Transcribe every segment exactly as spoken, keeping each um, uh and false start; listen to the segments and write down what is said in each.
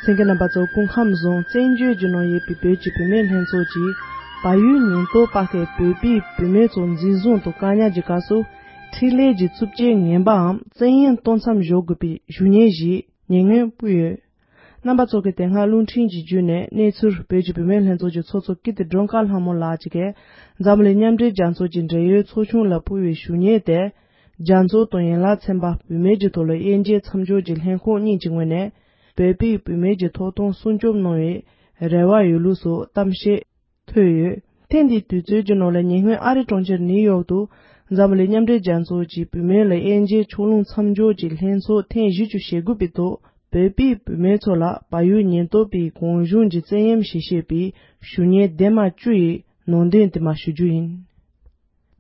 གསན་མཁན་རྣམ་པ་ཚོ་སྐུ་ཁམས་བཟང་། བཙན་བྱོལ་གྱི་ནང་ཡོད་པའི་བོད་ཀྱི་བུད་མེད་ལྷན་ཚོགས་ཀྱིས་བལ་ཡུལ་ཉེན་རྟོག་པ་ཁའི་བོད་པའི་བུད་མེད་ཚོ་འཛིན་བཟུང་དང་བཀག་ཉར་གྱི་སྐབས་སུ་འཕྲིན་ལས་ཀྱི་རྩུབ་སྤྱོད་ངན་པའམ་བཙན་གཡེམ་གཏོང་མཚམས་འཇོག་དགོས་པའི་ཞུ་སྙན་ཞིག་ཉེ་སྔོན་ཕུལ་ཡོད། རྣམ་པ་ཚོ་གིས་དེ་སྔ་རླུང་འཕྲིན་གྱི་བརྒྱུད་ནས་གནས་ཚུལ་བོད་ཀྱི་བུད་མེད་ལྷན་ཚོགས་ཀྱི་ཚོགས་གཙོ་ཀིརྟི་སྒྲོལ་དཀར་ལྷ་མོ་ལགས་ཀྱིས་འཛམ་གླིང་མཉམ་འབྲེལ་རྒྱལ་ཚོགས་ཀྱི་འབྲེལ་ཡོད་ཚོགས་ཆུང་ལ་ཕུལ་བའི་ཞུ་སྙན་དེ། རྒྱ་མཚོ་དང་ཡན་ལག་ཚན་པ་བུད་མེད་ཀྱི་ཐོག་ལ་དབྱེ་འབྱེད་མཚམས་འཇོག་གི་ལྷན་ཁང་གཉིས་ཀྱི་ངོས་ནས་བོད་པའི་བུད་མེད་ཀྱི་ཐོབ་ཐང་སྲུང་སྐྱོབ་གནང་བའི་རེ་བ་ཡོད་ལུགས་སོགས་གཏམ་བཤད་ཐོས་ཡོད། ཐེངས་འདིའི་དུས་ཚོད་ཀྱི་ནང་ལ་ཉེ་སྔོན་ཨ་རི་གྲོང་ཁྱེར་ནིའུ་ཡོག་ཏུ་འཛམ་གླིང་མཉམ་འབྲེལ་རྒྱལ་ཚོགས་ཀྱི་བུད་མེད་ལ་དབྱེ་འབྱེད་ཕྱོགས་ལྷུང་མཚམས་འཇོག་གི་ལྷན་ཚོགས་ཐེངས་བཞི་བཅུ་ཞེ་དགུ་པའི་ཐོག་བོད་པའི་བུད་མེད་ཚོ་ལ་བལ་ཡུལ་ཉེན་རྟོག་པས་གང་བྱུང་གིས་བཙན་གཡེམ་བྱས་བྱས་པའི་ཞུ་སྙན་ལྡེབ་མ་བཅུ་ཡི་ནང་དོན་དེ་མར་ཞུ་རྒྱུ་ཡིན།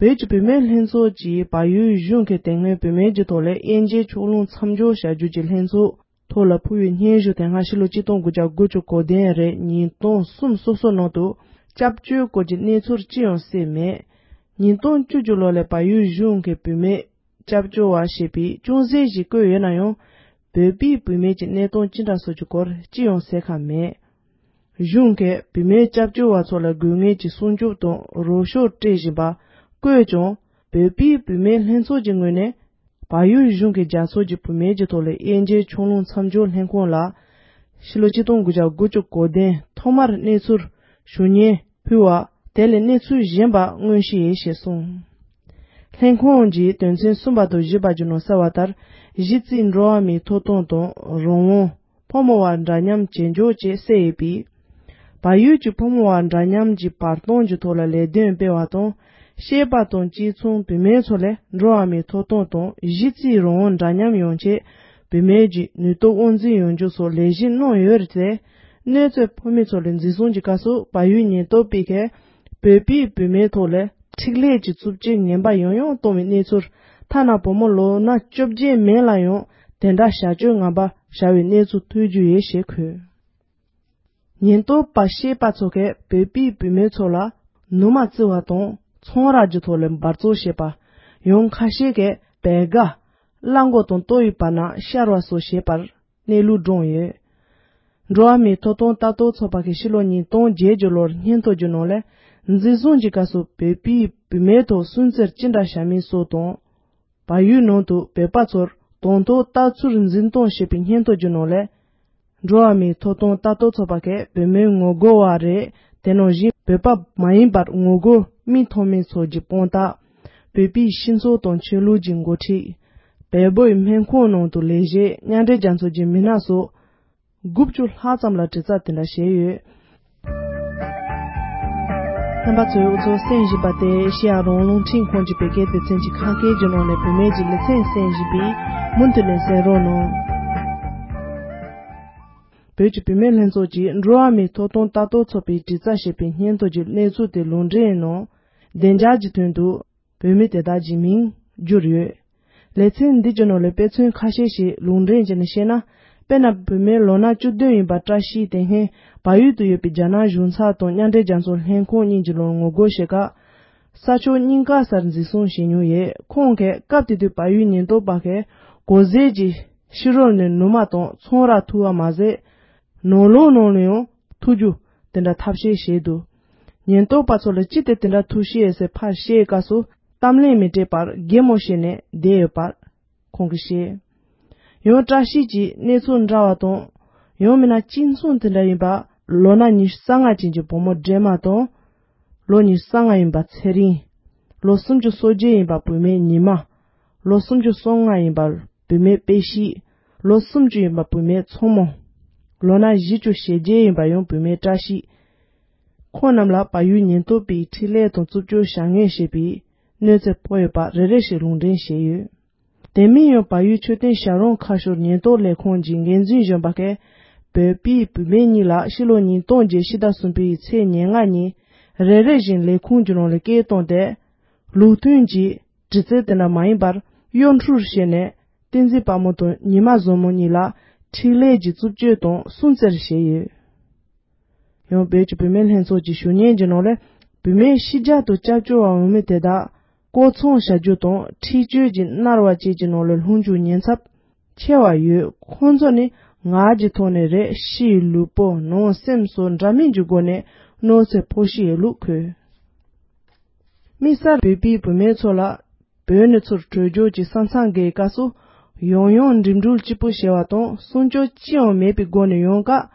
བོད་ཀྱི་བུད་མེད་ལྷན་ཚོགས་ཀྱིས་བལ་ཡུལ་གཞུང་གིས་དེ་སྔོན་བུད་མེད་ཀྱི་ཐོག་ལ་དབྱེ་འབྱེད་ཕྱོགས་ལྷུང་མཚམས་འཇོག་བྱ་རྒྱུ་གྱི་ལྷན་ཚོགས་ཐོག་ལ་ཕུལ་བའི་སྙན་ཞུ་དེ་སྔ་ཕྱི་ལོ་ཆིག་སྟོང་དགུ་བརྒྱ་དགུ་བཅུ་གོ་བདུན་རེད། ཉིས་སྟོང་གསུམ་སོ་སོ་ནང་དུ་སྐྱབས་བཅོལ་སྐོར་གྱི་གནས་ཚུལ་ཅི་ཡང་གསལ་མེད། ཉིས་སྟོང་བཅུ་གཅིག་ལོ་ལ་བལ་ཡུལ་གཞུང་གིས་བུད་མེད་སྐྱབས་བཅོལ་བ་ཞེས་པའི་ཅུང་ཟད་ཞིག་བཀོད་ཡོད་ན་ཡང་། བོད་པའི་བུད་མེད་ཀྱི་གནས་སྟངས་ཅི་འདྲ་སོགས་ཀྱི་སྐོར་ཅི་ཡང་གསལ་ཁ་མེད། གཞུང་གིས་བུད་མེད་སྐྱབས་བཅོལ་བ་ཚོ་ལ་དགོས་ངེས་ཀྱི་སྲུང་སྐྱོབ་དང་རོགས་སྐྱོར་སྤྲད་བཞིན་པ་བཀོད་ཀྱང་། བོད་པའི་བུད་མེད་ལྷན་ཚོགས་ཀྱི་ངོས་ནས་བལ་ཡུལ་གཞུང་གིས་རྒྱལ་ཚོགས་ཀྱི་བུད་མེད་ཀྱི་ཐོག་ལ་དབྱེ་འབྱེད་ཕྱོགས་ལྷུང་མཚམས་འཇོག་ལྷན་ཁང་ལ་ཕྱི་ལོ་ཆིག་སྟོང་དགུ་བརྒྱ་དགུ་བཅུ་གོ་བདུན་ཐོག་མར་གནས་ཚུལ་ཞུ་སྙན་ཕུལ་བ་དེ་ལས་གནས་ཚུལ་གཞན་པ་མངོན་ཤེས་ཡིན་ཞེས་གསུངས། ལྷན་ཁང་གི་དོན་ཚན་གསུམ་པ་དང་བཞི་པ་བརྒྱུད་ནས་གསལ་བ་ལྟར། གཞི་རྩའི་འགྲོ་བ་མིའི་ཐོབ་ཐང་དང་རང་དབང་། ཕོ་མོ་བར་འདྲ་མཉམ་ཇེ་མགྱོགས་བཅས་གསལ་ཡོད་པས། བལ་ཡུལ་གྱི་ཕོ་མོ་བར་འདྲ་མཉམ་གྱི་བར་སྟོང་གྱི་ཐོག་ལ་ལས་དོན་སྤེལ་བ་དང་། སྐྱེས་པ་དང་གཅིག་མཚུངས་བུད་མེད་ཚོ་ལ་འགྲོ་བ་མིའི་ཐོབ་ཐང་དང་གཞི་རྩའི་རང་དབང་འདྲ་མཉམ་ཡོང་ཆེད་བུད་མེད་ཀྱི་ནུས་སྟོབས་དབང་འཛིན་ཡོང་རྒྱུ་སོགས་ལས་གཞི་གནང་ཡོད་རེད་དེ། གནོད་འཚེ་ཕོག་མི་ཚོ་ལ་འཛིན་བཟུང་གྱི་སྐབས་སུ་བལ་ཡུལ་ཉེན་རྟོག་པས་ཀྱིས་བོད་པའི་བུད་མེད་ཐོག་ལ་འཕྲིན་ལས་ཀྱི་རྩུབ་སྤྱོད་ངན་པ་ཡང་ཡང་གཏོང་བའི་གནས་ཚུལ། ཐ་ན་བུ་མོ་ལོ་ན་བཅོ་བརྒྱད་མན་ལ་ཡང་དེ་འདྲ་བྱ་སྤྱོད་ངན་པ་བྱ་བའི་གནས་ཚུལ་ཐོན་རྒྱུ་ཡོད་ཞེས་འཁོད། ཉེན་རྟོག་པ་སྐྱེས་པ་ཚོ་གིས་བོད་པའི་བུད་མེད་ཚོ་ལ་ནུ་མ་བཙིར་བ་དང་ཚོང་ར་གྱི་ཐོག་ལ་འབར་བཙོག་བྱེད་པ། ཡང་ཁ་ཤས་ཀྱིས་བལ་དགའ། གླང་མགོ་དང་ལྟོ་ཡི་བར་ན་ཤར་བ་སོགས་བྱེད་པར་གནས་ལུགས་བགྲངས་ཡོད། འགྲོ་བ་མིའི་ཐོབ་ཐང་ལྟ་རྟོག་ཚོགས་པ་གིས་ཕྱི་ལོ་ཉིས་སྟོང་བརྒྱད་ཀྱི་ལོར་སྙན་ཐོ་བརྒྱུད་གནང་ལས། འཛིན་བཟུང་གི་སྐབས་སུ་བོད་པའི་བུད་མེད་ཐོག་སུན་གཙེར་ཅི་འདྲ་བྱ་མིན་སོགས་དང་། བལ་ཡུལ་ནང་དུ་བོད་པ་ཚོར་དང་ཐོག་ལྟ་ཚུལ་འཛིན་སྟངས་ཞེས་པའི་སྙན་ཐོ་བརྒྱུད་གནང་ལས། འགྲོ་བ་མིའི་ཐོབ་ཐང་ལྟ་རྟོག་ཚོགས་པ་གིས་བོད་མིར་ངོ་རྒོལ་བ་རེད། དེ་ནང་བཞིན་བོད་པ་མ་ཡིན་པར་ངོ་རྒོལ་མིང་ཐོགས་མི་ཚོ་གི་དཔང་རྟགས། བོད་པའི་སྤྱི་ཚོགས་དང་ཆོས་ལུགས་ཀྱི་འགོ་ཁྲིད། བལ་པོའི་སྨན་ཁང་ནང་དུ་ལས་བྱེད། མཉམ་འབྲེལ་རྒྱལ་ཚོགས་ཀྱི་མི་སྣ་སོགས། དགུ་བཅུ་ལྷག་ཙམ་ལ་དྲི་རྩད་དེ་འདྲ་བྱས་ཡོད། རྣམ་པ་ཚོས་འུ་ཚོ་གསན་བཞིན་པ་དེ་ཨེ་ཤེ་ཡ་རང་དབང་རླུང་འཕྲིན་ཁང་གི་བོད་སྐད་སྡེ་ཚན་གྱི་ཁ་སྐད་ཀྱི་ནང་ནས་བུད་མེད་ཀྱི་ལེ་ཚན་གསན་བཞིན་པས་མུ་མཐུད་ནས་གསན་རོགས་གནང་། བོད་ཀྱི་བུད་མེད་ལྷན་ཚོགས་ཀྱིས་འགྲོ་བ་མིའི་ཐོབ་ཐང་ལྟ་རྟོག་ཚོགས་པའི་དྲི་རྩད་ཞེས་པའི་སྙན་ཐོ་གྱི་གནས་ཚུལ་དེ་ལུང་འདྲེན་གནང་། བདེ་འཇགས་ཀྱི་དོན་དུ། བོད་མི་དེ་དག་གི་མིང་བསྒྱུར་ཡོད། ལེ་ཚན་འདི་གྱི་ནང་ལ་དཔེ་མཚོན་ཁ་ཤས་ཤིག་ལུང་འདྲེན་བྱས་ནས་བཤད་ན། དཔེར་ན་བུད་མེད་ལོ་ན་བཅུ་བདུན་ཡིན་པ་བཀྲ་ཤིས་དེ་སྔོན་བལ་ཡུལ་དུ་ཡོད་པའི་རྒྱ་ནག་གཞུང་ཚབ་དང་མཉམ་འབྲེལ་རྒྱལ་ཚོགས་ལྷན་ཁང་གཉིས་ཀྱི་ལོར་ངོ་རྒོལ་བྱེད་སྐབས། ས་ཕྱོགས་རྙིང་ག་སར་འཛིན་བཟུང་བྱས་མྱོང་ཡོད། ཁོང་གིས་སྐབས་དེ་དུས་བལ་ཡུལ་ཉེན་རྟོག་པ་གིས་གོ་ཟས་ཀྱི་ཕྱི་རོལ་ནས་ནུ་མ་དང་ཚོང་ར་འཐུ་བ་མ་ཟད། ནང་ལོགས་ནང་ལ་ཡང་འཐུ་རྒྱུ་དེ་འདྲ་ཐབས་ཤེས་བྱས་འདུག་ཉེན་རྟོག་པ་ཚོ་ལ་ཅི་སྟེ་དེ་འདྲ་ཐུག་ཤེས་ཟེར་ཕར་བཤད་སྐབས་སུ་གཏམ་གླེང་མི་སྤྲད་པར་གད་མོ་བྱས་ནས་བསྡད་ཡོད་པར་ཁོང་གིས་བཤད། ཡང་བཀྲ་ཤིས་ཀྱིས་གནས་ཚུལ་འདྲ་བ་དང་། ཡང་མིན་ན་གཅིག་མཚུངས་དེ་འདྲ་ཡིན་པ་ལོ་ན་ཉི་ཤུ་རྩ་ལྔ་ཅན་གྱི་བུ་མོ་སྒྲོལ་མ་དང་། ལོ་ཉི་ཤུ་རྩ་ལྔ་ཡིན་པ་ཚེ་རིང་། ལོ་སུམ་ཅུ་སོ་བརྒྱད་ཡིན་པ་བུད་མེད་ཉི་མ། ལོ་སུམ་ཅུ་སོ་ལྔ་ཡིན་པ་བུད་མེད་དཔེ་ཤེས། ལོ་སུམ་ཅུ་ཡིན་པ་བུད་མེད་མཚོ་མོ། ལོ་ན་བཞི་བཅུ་ཞེ་བརྒྱད་ཡིན་པ་ཡང་བུད་མེད་བཀྲ་ཤིས། ཁོང་རྣམས་ལ་བལ་ཡུལ་ཉེན་རྟོག་པས་འཕྲིན་ལས་དང་རྩུབ་སྤྱོད་བྱ་ངན་བྱས་པའི་གནོད་འཚེ་ཕོག་ཡོད་པ་རེ་རེ་བཞིན་ལུང་འདྲེན་བྱས་ཡོད། དེ་མིན་ཡང་བལ་ཡུལ་མཆོད་རྟེན་བྱ་རུང་ཁ་ཤོར་ཉེན་རྟོག་ལས་ཁུངས་ཀྱི་འགན་འཛིན་གཞོན་པ་ཁས། བོད་པའི་བུད་མེད་གཉིས་ལ་ཕྱི་ལོ་ཉིས་སྟོང་བརྒྱད་ཕྱི་ཟླ་གསུམ་པའི་ཚེས་ཉེར་ལྔ་ཉིན་རེ་རེ་བཞིན་ལས་ཁུངས་ཀྱི་ནང་ལ་སྐད་བཏང་སྟེ། ལུགས་མཐུན་གྱི་དྲི་རྩད་དེ་འདྲ་མ་ཡིན་པར་གཡོ་འཕྲུལ་བྱས་ནས་བསྟན་འཛིན་དཔལ་མོ་དང་ཉི་མ་བཟང་མོ་གཉིས་ལ་འཕྲིན་ལས་ཀྱི་རྩུབ་སྤྱོད་དང་སུན་གཙེར་བྱས་ཡོད། ཡང་བོད་ཀྱི་བུད་མེད་ལྷན་ཚོགས་ཀྱི་ཞུ་སྙན་གྱི་ནང་ལས། བུད་མེད་ཕྱི་རྒྱལ་དུ་སྐྱབས་བཅོལ་བ་འོང་མི་དེ་དག་བཀོལ་མཚང་བྱ་རྒྱུ་དང་འཁྲིག་སྤྱོད་ཀྱིས་མནར་བ་བཅས་ཀྱི་ནང་ལ་ལྷུང་རྒྱུའི་ཉེན་ཚབས་ཆེ་བ་ཡོད། ཁོང་ཚོ་ནི་ ངག་གི་ཐོག་ནས་རེད། ཕྱིའི་ལུས་པོ་ནང་སེམས་སོགས་འདྲ་མིན་གྱི་སྒོ་ནས་གནོད་འཚེ་ཕོག་བཞིན་ཡོད་ལུགས་འཁོད། དམིགས་བསལ་བོད་པའི་བུད་མེད་ཚོ་ལ་བོད་ནས་ཚུར་བྲོས་བྱོལ་གྱི་ས་མཚམས་འགའི་སྐབས་སུ་ཡང་ཡང་འགྲིམ་འགྲུལ་གཅིག་པུ་བྱས་པ་དང་སྲུང་སྐྱོབ་ཅི་ཡང་མེད་པའི་སྒོ་ནས་ཡོང་སྐབས།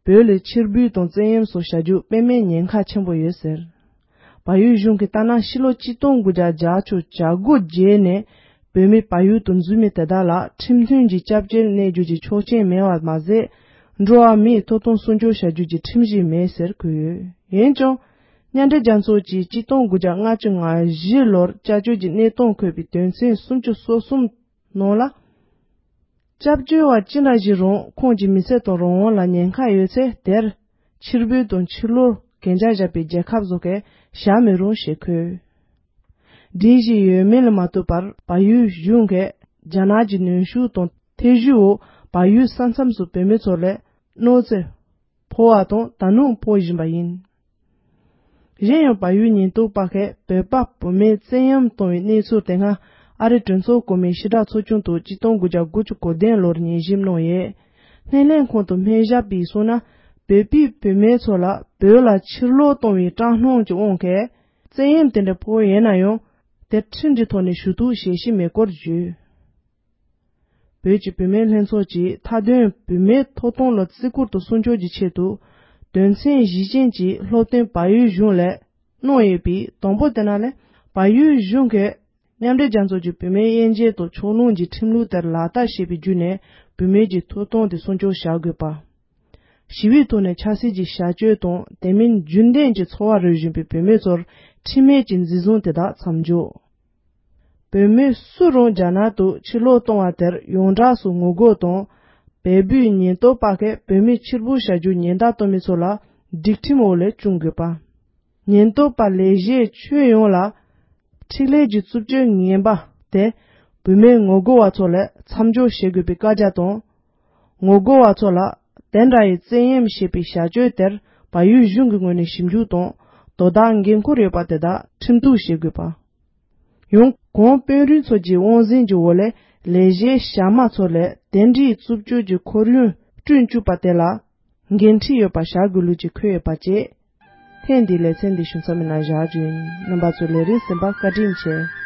བོད་ལ་ཕྱིར་འབུད་དང་བཙན་གཡེམ་སོགས་བྱ་རྒྱུ་དཔེ་མེད་ཉེན་ཁ་ཆེན་པོ་ཡོད་ཟེར། བལ་ཡུལ་གཞུང་གིས་ལྟ་ན་ཕྱི་ལོ་གཅིག་སྟོང་དགུ་བརྒྱ་བརྒྱད་ཅུ་གྱ་དགུ་རྗེས་ནས་བོད་མི་བལ་ཡུལ་དུ་འཛུལ་མི་དེ་དག་ལ་ཁྲིམས་མཐུན་གྱི་སྐྱབས་བཅོལ་གནས་རྒྱུ་གྱི་ཆོག་མཆན་མེད་པ་མ་ཟད། འགྲོ་བ་མིའི་ཐོབ་ཐང་སྲུང་སྐྱོབ་བྱ་རྒྱུ་གྱི་ཁྲིམས་གཞི་མེད་ཟེར་འཁོད་ཡོད། འོན་ཀྱང་། མཉམ་འབྲེལ་རྒྱལ་ཚོགས་ཀྱིས་གཅིག་སྟོང་དགུ་བརྒྱ་ལྔ་བཅུ་ང་བཞི་ལོར་སྐྱབས་བཅོལ་གྱི་གནས་སྟངས་འཁོད་པའི་དོན་ཚན་སུམ་ཅུ་སོ་གསུམ་ནང་ལ། སྐྱབས་བཅོལ་བ་ཅི་འདྲ་ཞིག་རུང་ཁོང་གི་མི་ཚེ་དང་རང་དབང་ལ་ཉེན་ཁ་ཡོད་ཚེ་དེར་ཕྱིར་འབུད་དང་ཕྱིར་ལོག་གན་རྒྱ་བཞག་པའི་རྒྱལ་ཁབ་སོགས་ཀྱིས་བཞག་མི་རུང་ཞེས་འཁོད། སྒྲིག་གཞི་ཡོད་མེད་ལ་མ་ལྟོས་པར་བལ་ཡུལ་གཞུང་གིས་རྒྱ་ནག་གི་གནོན་ཤུགས་དང་ཐེ་བྱུས་འོག་བལ་ཡུལ་ས་མཚམས་སུ་བོད་མི་ཚོ་ལ་གནོད་འཚེ་ཕོག་པ་དང་ད་དུང་ཕོག་བཞིན་པ་ཡིན། གཞན་ཡང་བལ་ཡུལ་ཉེན་རྟོག་པ་ཁག་བོད་པ་བུད་མེད་བཙན་གཡེམ་གཏོང་བའི་གནས་ཚུལ་དེ་སྔ་ཨ་རིའི་གྲོས་ཚོགས་གོང་མའི་ཕྱི་དྲག་ཚོགས་ཆུང་དུ་གཅིག་སྟོང་དགུ་བརྒྱ་དགུ་བཅུ་གོ་བདུན་ལོར་ཉན་ཞིབ་གནང་ཡོད། སྣེ་ལེན་ཁང་དུ་སྨན་ཞབས་པས་གསུངས་ན་བོད་པའི་བུད་མེད་ཚོ་ལ་བོད་ལ་ཕྱིར་ལོག་གཏོང་བའི་དྲག་སྣང་གི་དབང་གིས་བཙན་གཡེམ་དེ་འདྲ་ཕོག་ཡོད་ན་ཡང་དེ་ཁྲིམས་ཀྱི་ཐོག་ནས་ཞུ་གཏུག་བྱེད་བཞིན་མེད་སྐོར་བརྗོད། བོད་ཀྱི་བུད་མེད་ལྷན་ཚོགས་ཀྱིས་མཐའ་དོན་བུད་མེད་ཐོབ་ཐང་ལ་བརྩི་བཀུར་དང་སྲུང་སྐྱོབ་ཀྱི་ཆེད་དུ་དོན་ཚན་བཞི་ཅན་གྱི་སློབ་སྟོན་བལ་ཡུལ་གཞུང་ལ་གནང་ཡོད་པའི་དང་པོ་དེ་ནང་ལས་བལ་ཡུལ་གཞུང་གིས་མཉམ་འབྲེལ་རྒྱལ་ཚོགས་ཀྱི་བུད་མེད་དབྱེ་འབྱེད་དང་ཕྱོགས་ལྷུང་གི་ཁྲིམས་ལུགས་དེར་ལག་བསྟར་བྱེད་པའི་བརྒྱུད་ནས་བུད་མེད་ཀྱི་ཐོབ་ཐང་དེ་སྲུང་སྐྱོབ་བྱ་དགོས་པ། ཞི་བའི་ཐོག་ནས་ཆབ་སྲིད་ཀྱི་བྱ་སྤྱོད་དང་དེ་མིན་རྒྱུན་ལྡན་གྱི་འཚོ་བ་རོལ་བཞིན་པའི་བུད་མེད་ཚོར་ཁྲིམས་མེད་ཀྱི་འཛིན་བཟུང་དེ་དག་མཚམས་འཇོག་བུད་མེད་སུ་རུང་རྒྱ་ནག་ཏུ་ཕྱིར་ལོག་གཏོང་བ་དེར་ཡོངས་གྲགས་སུ་ངོ་རྒོལ་དང་། བལ་པོའི་ཉེན་རྟོག་པ་ཁག་བོད་མི་ཕྱིར་འབུད་བྱ་རྒྱུ་ཉེན་བརྡ་གཏོང་མི་ཚོ་ལ་སྒྲིག་ཁྲིམས་འོག་ལས་སྐྱོང་དགོས་པ། ཉེན་རྟོག་པ་ལས་གཞི་ཁྱོན་ཡོངས་ལ་འཕྲིན་ལས་ཀྱི་རྩུབ་སྤྱོད་ངན་པ་དེ་བུད་མེད་ངོ་རྒོལ་བ་ཚོ་ལ་མཚམས་འཇོག་བྱེད་དགོས་པའི་བཀའ་རྒྱ་དང་། ངོ་རྒོལ་བ་ཚོ་ལ་དེ་འདྲ་ཡི་བཙན་གཡེམ་བྱེད་པའི་བྱ་སྤྱོད་དེར་བལ་ཡུལ་གཞུང་གི་ངོས་ནས་ཞིབ་འཇུག་དང་དོ་བདག་འགན་འཁུར་ཡོད་པ་དེ་དག་ཁྲིམས་གཏུག་བྱེད་དགོས་པ། ཡང་གོང་དཔོན་རིགས་ཚོ་གི་དབང་འཛིན་གྱི་འོག་ལས་ལས་གཞིའི་བྱ་མ་ཚོ་ལས་དེ་འདྲའི་རྩུབ་སྤྱོད་ཀྱི་ཁོར་ཡུག་བསྐྲུན་བཅུག་པ་དེ་ལ་འགན་འཁྲི་ཡོད་པ་བཞག་དགོས་ལུགས་ཀྱི་འཁོད་ཡོད་པ་བཅས། ཐེངས་འདིའི་ལེ་ཚན་འདི་ཞུ་མཚམས་མི་ནང་བཞག་རྒྱུ་ཡིན། རྣམ་པ་ཚོས་ལས་རིམ་གསན་པར་བཀའ་དྲིན་ཆེ།